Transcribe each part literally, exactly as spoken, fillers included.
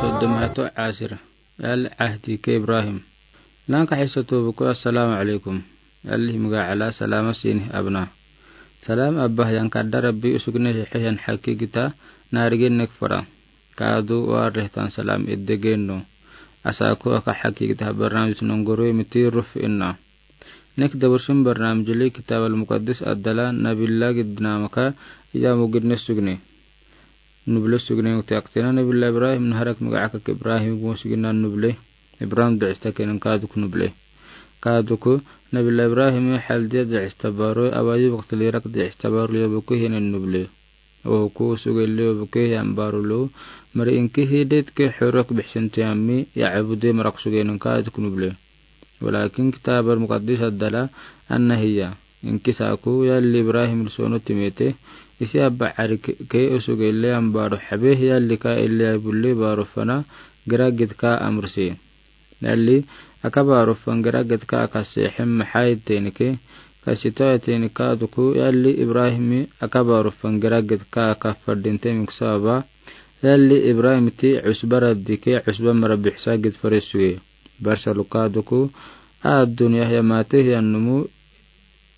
Soddomato asir. Yalli ahdi ke Ibrahim. Lanka hisa tobu ko, assalaamu alaykum. Yalli himga ala salama sini abna. Salam abba yan kadda Rabbi usugne hehe yan hakigita narigen nek fora. Kaadu warehtan salam edde geno. Asa ko aka hakigita barnamij nongoro miti ruf inna. Nek dabarsin barnamij li Kitab al-Muqaddas adala Nabilla gidnamaka ya mugidne sugne. Nuble sugne uti aktena Nabilla Ibrahim naharak miga akak Ibrahim gu sugina nuble. Ibrahim duista kenen kaaduk nuble. Kaaduk Nabilla Ibrahim haldiya duista baro awayi wakti lirak duista baro liya buku henen nuble. Oku suge liya buku yan baro lo. Mari inki hidet ke horok bihsin tiyami ya abude marak suge nen kaaduk nuble. Walakin Kitab al-Muqaddas adala anna hiya. Inki saku yalli Ibrahim lisono timete, isi abba arik ke usuge le ambaro habe yalli ka illi ay bulle baro fana gira gidka amrsi. Yalli aka baro fan gira gidka aka sehem hai tenike, ka sito tenike aduku yalli Ibrahim aka baro fan gira gidka aka fardinte miksaba, yalli Ibrahim ti usba raddike usba mara bihsa gid faresuge. Barsa luka aduku, a dunya ya mate ya numu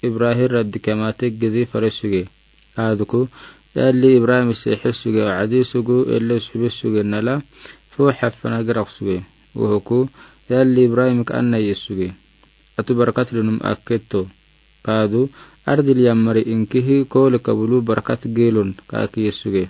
Ibrahim raddi kemate gidi faresuge. Aduku, yalli Ibrahim sehe suge adi sugu elle subi suge nala, fo hafana girak suge. Wohoku, yalli Ibrahim ka anna ye suge. Atu barakat lunum akketo. Kaadu, ardil yammari inkihi kole kabulu barakat gelon ka aki ye suge.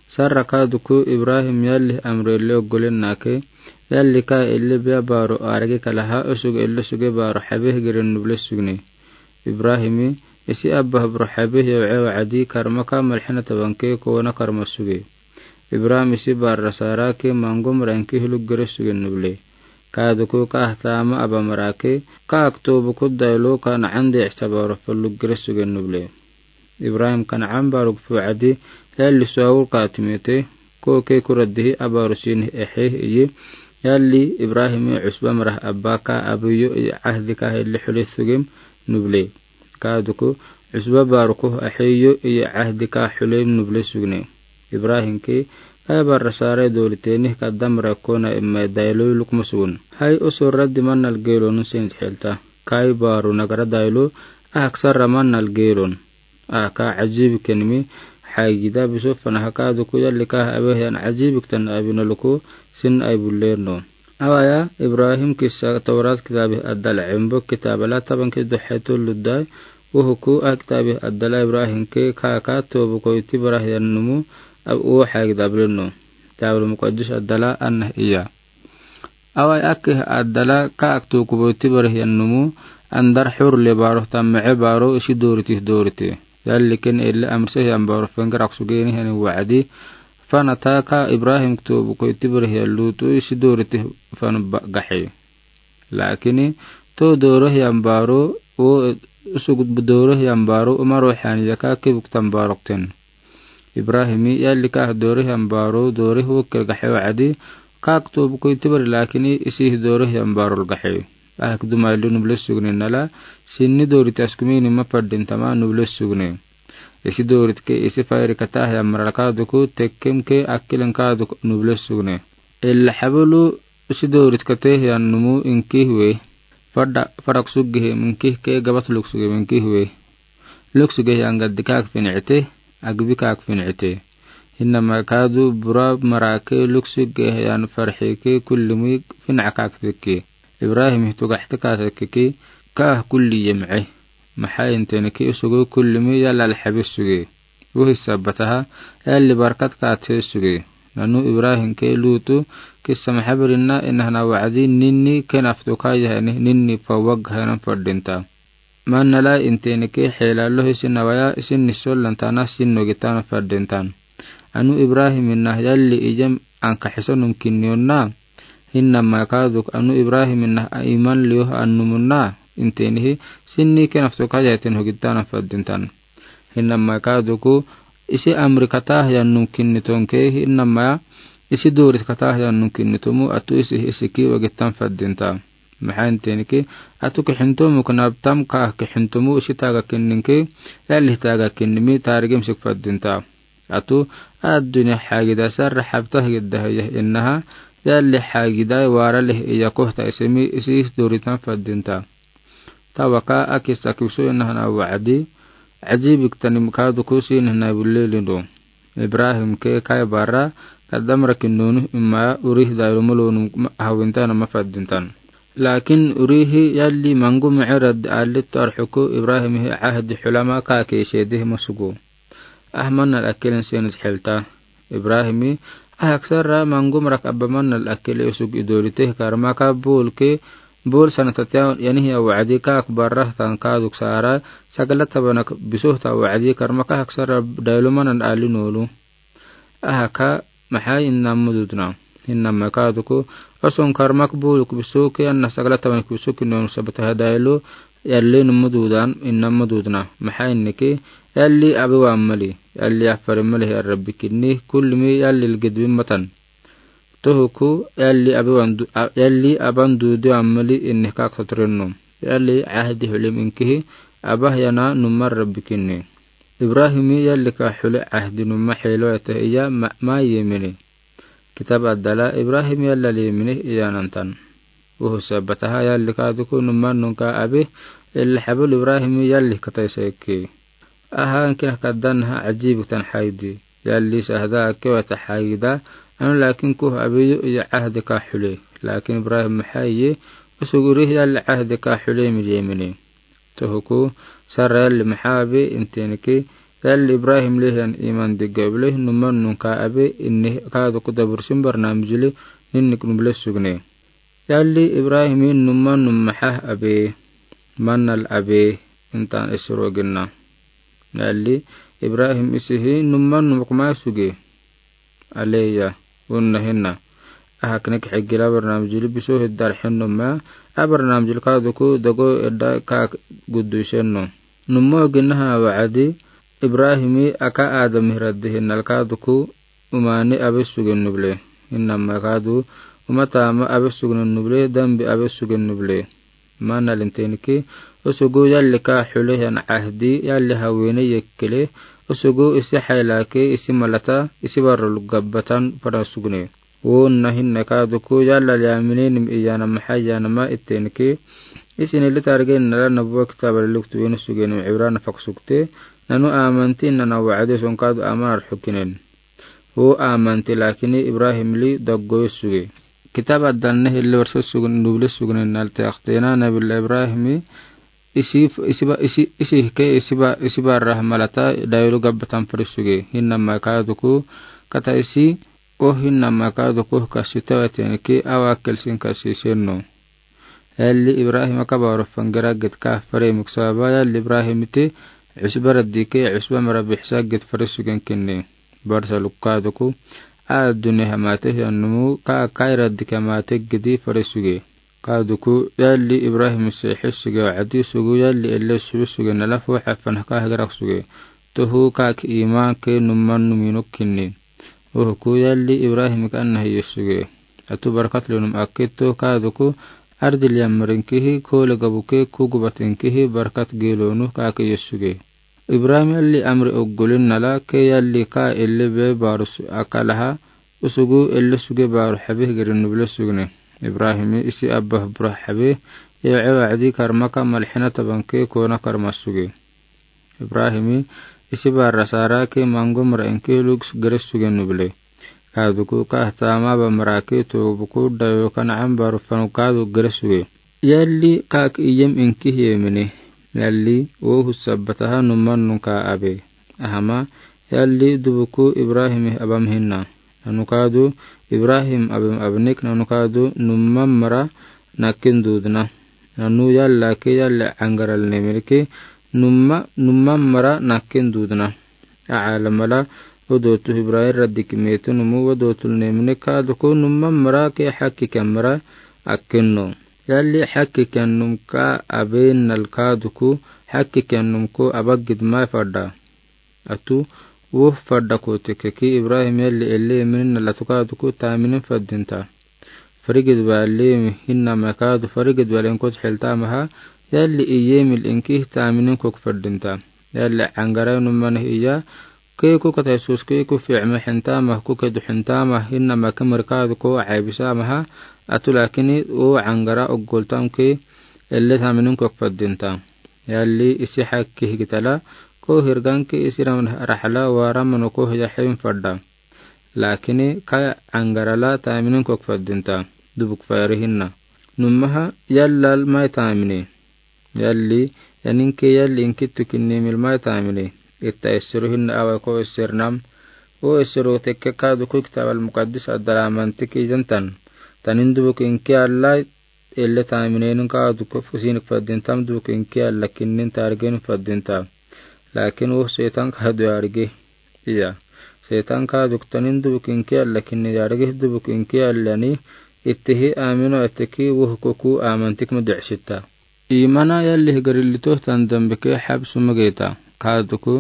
Sarra kaduku Ibrahim yalli amre le ogolen nake, yalli ka elle biya baro arge kalaha usug elle suge baro habeh geren nuble sugne. Ibrahimi, isi abba bro habeh yaw ewa adi karma ka malhina tabanke kona karma suge. Ibrahim isi barra sara ke mangom ranki hulug gere suge nuble. Kaduku ka ahtama aba marake, ka aktobu kudda ilo ka na ande ihsa baro fulug gere suge nuble. Ibrahim Kanaan baruk fu adi, yalli suawur ka timete, ko ke kuradihi abaru sini ehe iyi, yalli Ibrahim usba marah abba ka abiyo iyi ahdi ka helle hule sugim nuble. Kaduku, usba baruku ehe iyo iyi ahdi ka hule nuble sugne. Ibrahim ke, kaya barra sare doli teni kadam rakona emme dailu lukmusun. Hai usur raddi mannal gelonu sin helta. Kai baru nagara dailu, aksara mannal gelon. Aka ajib kenmi, hai gida bisu fana haka duku yalli ka abe yan ajib ktan abina luku sin ai bulerno. Awaya Ibrahim kisa Taurat kitabi adala embo kitabala taban ke duhetu ludai, uhuku a kitabi adala Ibrahim ke kaka tobu koiti barah yan numu ab uwa hai gida bileno. Kitabul Muqaddas adala anna iya. Awai ake adala ka aktu kubo tibar hiyan numu, andar hur le baro tamme baro isi doriti doriti. Yalli ken elle amse hiyan baro fengrak sugeni hani waadi, fana ta ka Ibrahim ktu buko tibar hiyan Lutu isi doriti fan gahe. Lakini to doro hiyan baro o sugud doro hiyan baro umaro hani yaka kibuk tan barokten. Ibrahimi yalli ka doro hiyan baro doro wokir gahe waadi, ka ktu buko tibar lakini isi doro hiyan baro gahe. Ahak dumai lu nuble sugne nala, sinni dori taskumini ma fardin tama nuble sugne. Isi dorit ke isi fayri kata hiyan maralaka duku tekkem ke akilen ka duku nuble sugne. Ella habulu isi dorit kate hiyan numu inki hue. Fada farak sugge he minki ke gabat luk sugge minki hue. Luk sugge hiyan gaddi kak finete, agbi kak finete. Hinna ma kadu bura marake luk sugge hiyan farhe ke kullimi fina kak teke. Ibrahim hitu gahte ka teke ke ka kulli yem'e. Maha intene ke usugu kullimi yalal habis sugge. Wuhi sabataha, yalli barkat ka te sugge. Nanu Ibrahim ke Lutu, kissa mahabirina inahna waadi ninni ken aftu ka yahani ninni fawag hanan fardinta. Manala intene ke hela lohi sinawaya isin nisolan tana sin nogitan fardintan. Anu Ibrahim inah yalli ijem anka hisanum kinnionna. Hinna ma kaduk anu Ibrahim inah iman liyo annumunna. Intenihi sinni ken aftu ka yaten hogitan fardintan. Hinna ma kaduku isi amri kata hiyan num kinnitonke hinna ma isi dorit kata hiyan num kinnitomu atu isi isi ki wagitan fardinta. Maha intene ke atu ke hintomu kanabtam ka ke hintomu isi taga kinninke yalli taga kinnimi tarigim sik fardinta. Atu Adunya xagida sarra xabtah gidda hiya innaha, yalli xagida wara leh iya kohta isimi isi doritan fadinta. Tawaka akisa kibso innaha na wa'adi, ajibik tani kaduku sin na bulle lindo. Ibrahim ke kai bara, kadamra kinunu imma urih dailu mulunu hawinta na mafadintan. Lakin urihi yalli mangu ma'arad allit tarxuku Ibrahim hi ahdi xulama ka ke shedi masugu. Ahman al akilin senus xelta. Ibrahimi, ahak sarra mangu marak abba man al akili usug idolite karma ka bul ke, bul sana tatiya yanihi awadi ka akbarra tan kaduk sara, sagala tabanak bisuh ta wadi karma ka ahak sarra dailu man al ali nolu. Ahaka maxaa inna mududna. Inna makaduku, oson karmak buluk bisuki anna sagala tabanak bisuki non sabata hadailu, yalli numududan, inna mududna. Maxaa inniki, yalli abi wa ammali, yalli afari mali rabbi kinni, kullimi yalli lgidbi matan. Tuhuku, yalli abi wa andu-, a-, yalli aban dudu ammali inni kak satrinno. Yalli ahdi hulim inkihi, abah yana numar rabbi kinni. Ibrahimi yalli ka huli ahdi numa xelo ete iya ma, ma yemini. Kitab addala Ibrahim yalla lemini iyanantan. Uhu sabataha yalli kaduku numan nunka abi, illa habul Ibrahim yalli kataisa ikki. Aha ankin kaddan ha ajib tan haydi. Yalli sahda akke wata hayda, anu lakin kuh abi yu iya ahdi ka huli. Lakin Ibrahim hayi, usuguri yalli ahdi ka huli mi lemini. Tuhuku, sara yalli maha abi intiniki, yalli Ibrahim lihan iman digga bile numan nunka abi inni kaduku dabur simbar namjili ninnik nubile sugne. Yalli Ibrahimi numan num maha abi, manal abi, intan isro ginna. Yalli Ibrahim isihi numan num kuma suge. Aleya, unna hinna. Ahaknik xigila barnamijili biso hiddar xennoma, a barnamijil kaduku dogo edda ka guddusenno. Numo ginna hana wa'adi, Ibrahimi aka Adam hiraddi hinnal kaduku, umani abe sugen nuble. Innama kadu, uma tama abe sugen nuble, dambi abe sugen nuble. Mana lintenki, usugu yalli ka hule yan ahdi, yalli hawene yekkele, usugu isi haylake, isi malata, isi barul gabbatan para sugne. Wonna hinna kaduku yalla liyamine nim iyana mahayanama ittenki, isi nili targe nala nabuwa kitaba liluktu wenu suge nim Ibrana faksukte, nanu amanti nana wa'ade son kadu amar hukinen. Wo amanti lakini Ibrahim li daggoy suge. Kitab addan ne hille warsa sugun, nubli sugunin nal teaktena Nabila Ibrahimi isi, isi ba, isi, isi ke, isi ba, isi ba rahmalata dayulu gabbatan fari suge. Hinna ma kaduku kata isi, o hinna ma kaduku kasi tawaten ke awa kelsin kasi senno. Yalli Ibrahim aka baru fangera git ka fare muksaba yalli Ibrahim ite usba raddi ke usba mara bihsa git fare sugen kinni. Barsa lukka duku, a duni hamate hiyan numu ka kaira dike hamate gidi fare suge. Ka duku yalli Ibrahim se his suge wa adi sugu yalli elle subi suge nala fu hafan ka hagrak suge. Tuhu ka ki iman ke numan numinuk kinni. Uhuku yalli Ibrahim ka anna hiyo suge. Atu barkat lunum akitto ka duku ardi liyamrin kihi kole gabuke kugubatin kihi barkat gelonu ka ki yesuge. Ibrahim yalli amri oggulin nala ke yalli ka elle be barus akalaha usugu elle suge baru habih gerin nubile sugne. Ibrahimi isi abbah burah habih, yewe wa'adi karmaka malhina tabanke kona karma suge. Ibrahimi isi bara sara ke mango mara inke lug gere suge nubile. Ka duku ka tama ba mara ke to buku dayo ka na'am baru fanu ka du gere suge. Yalli ka ki iyem inke hiyemene. Yalli wo husa bataha numan nunka abe. Ahama, yalli dubuku Ibrahimi abam hinna. Nanu ka du Ibrahim abam abnik nanu ka du numan mara nakin dudna. Nanu yalla ke yalla angaral nemirke numa, numa mara nakin dudna. Aala mala, odotu Ibrahim raddi kimetu numu odotu nemine ka duku numa mara ke haki kamara akinno. Yalli haki kannum ka abe nal ka duku haki kannum ko abagid mai fadda. Atu, wo fadda ko teke ki Ibrahim yalli elle eminin nal atu ka duku taminin faddinta. Farigid ba lemi hinna ma ka du farigid ba lenkot helta maha, yalli iyemil inki taminin kok faddinta. Yalli angara numan iya, Kee ko kata Yesus kee ko fiima xintama ko kee du xintama hinna ma ke mari kaadu ko aibisa maha atu lakini o angara ogoltam ke elle taminin ko fadinta. Yalli isi xakki higitala ko hirganki isi ram raxla wa ramano ko hiya xeyin fadda. Lakini ka angara la taminin ko fadinta. Dubuk fayri hinna. Numaha yallal mai tamini. Yalli, yaninke yalli inki tukinni mil mai tamini. Itta essero hinna awa ko esser nam. O essero tekke kaadu ko kitab al-muqaddis adala mantik ijantan. Tanin dubuk inki alla elle taminen kaadu ko fusinik fadintam dubuk inki alla kinnin targen fadinta. Lakin o setan kaadu yargi. Iya. Setan kaadu tanin dubuk inki alla kinni yargi dubuk inki allani ittihi amino atteki wo hukuku amantik mudicsitta. Imana yalli higarilli tohtan dambike xabsu mageta. Kaadu ko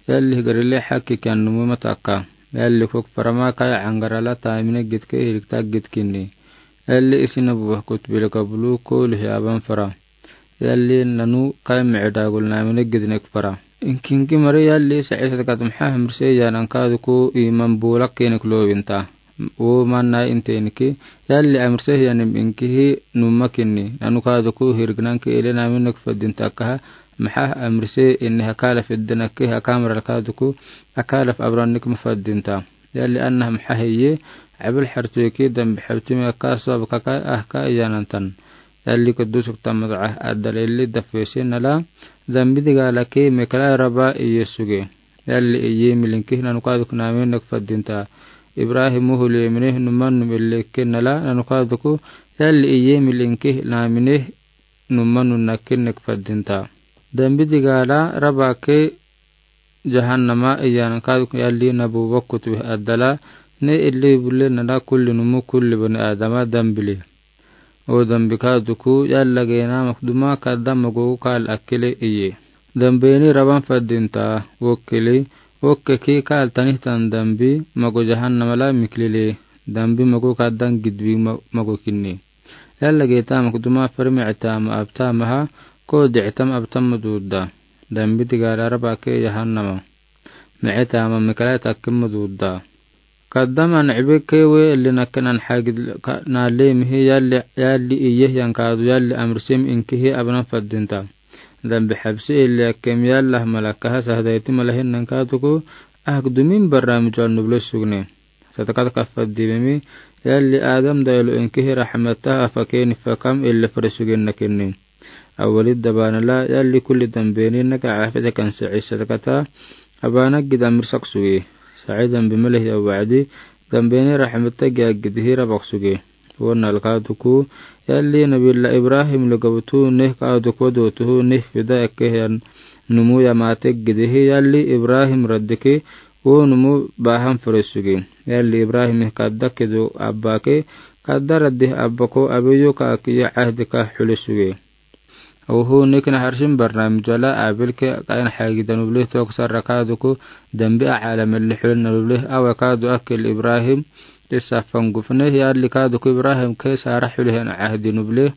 yalli higarilli xakki kiyan numu mataka. Yalli kok farama kaya angara la tamine gitke hirikta gitkinni. Yalli isi nabuwa kutbile kabulu ko lihi aban fara. Yalli nanu kaya mici dagul namine gidnek fara. Inkinki mari yalli saisa takatum xaxmrse yanan kaadu ko iman bulak kenek lowinta. O manna intenki yalli amrse yanim inkihi numa kinni. Nanu kaadu ko hirgnanki ele naminek fadinta kaha maxa amrse inni hakala fiddanaki hakamral kaadu ko akalaf abrannik mafadinta. Yalli anna maxa heye abal xartuki dambi xabtimi aka sabab kaka ahka iyanantan. Yalli kudusuk tamadaca adalelli dafesinala dambi digala ke mekla raba iye suge. Yalli iye milinki nanu kaadu ko naminek fadinta. Ibrahim muhuli mine numanum illekenala nanu kaadu ko yalli iye milinki namine numanum nakinek fadinta. Dambi digala raba ke jahannama iyan kaadu ko yalli nabu wakut wih adala ne illi bulle nala kulli numu kulli bani adama dambili. O dambi kaadu ko yalla gena makduma kadda mago kal akile iye. Dambeni raban fadinta wokkili wokke ki kal tanihtan dambi mago jahannama la miklili. Dambi mago kaddan gidwi ma-, mago kinni. Yalla geta makduma fari micitama abtamaha ko dicitama abtama dudda. Dambi digala raba ke jahannama. Micitama mikala takkima dudda. Kaddaman cibe kewe illi nakken an xagid ka-, nalemihi yalli, yalli iye yan kaadu yalli amrsim inkihi abnan fadinta. Dambi xabsi illi akkem yalla malakaha sahdayti malahin nan kaadu ko ahk dumin barramij wal nuble sugne. Sadakad kafaddi memi yalli Adam daylo inkihi raxmataha fakeni fakam illi fari sugen nakinni. Awalid dabanala yalli kulli dambeni naka cafita kan saci sadakata abana gid amrsak suge. Saci dambi malehi awacdi dambeni raxmata giya gidhi rabak suge. Wonal kaadu ko yalli nabila Ibrahim lugabtu neh kaadu ko dotuhu neh fida ekkehan numu yamate gidhi yalli Ibrahim raddiki wo numu bahan fari suge. Yalli Ibrahim kadda kedo abake kadda raddi abako abeyo ka akiya cahdika xuli suge. Oho nikna harsim barnamij wala abilke kain xagida nuble tok sarra kaadu ko dambi a caalam illi xulina nuble awa kaadu akil Ibrahim. Issa fangufne yalli kaadu ko Ibrahim ke sara xulihen cahdi nuble.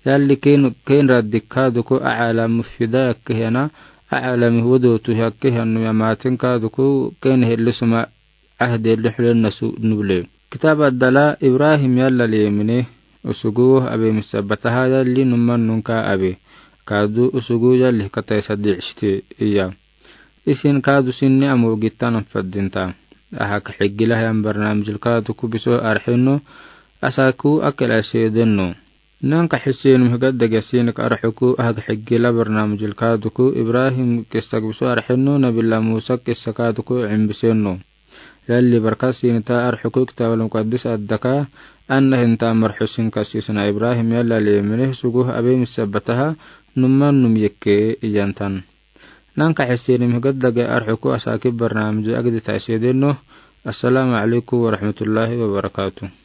Yalli ken, ken raddi kaadu ko a caalam fida yakkehena a caalam wodotu yakkehenu yamatin kaadu ko ken helli suma cahdi illi xulina su nuble. Kitab adala Ibrahim yalla lemine usugu abe misabataha yalli numan nunka abe. Kaadu usugu yalli kataisa dicsite iya. Isin kaadu sinni amo gitanan fadinta. Ahak xigila yan barnamijil kaadu ko biso arxinno asaku akil asedenno. Nanka xisinum higadda gasinka arxuku ahak xigila barnamijil kaadu ko Ibrahim kissa biso arxinno nabila Musa kissa kaadu ko cimbisenno. Yalli barkasinta arxuku kitabal muqaddis addaka anna hinta marxusin kasisna Ibrahim yalla lemine sugu abe misabataha numan num yekke iyantan. Nanka xisinum higadda ga arxuku asaki barnamij agdita isedenno. Assalamu alaikum warahmatullahi wabarakatuh.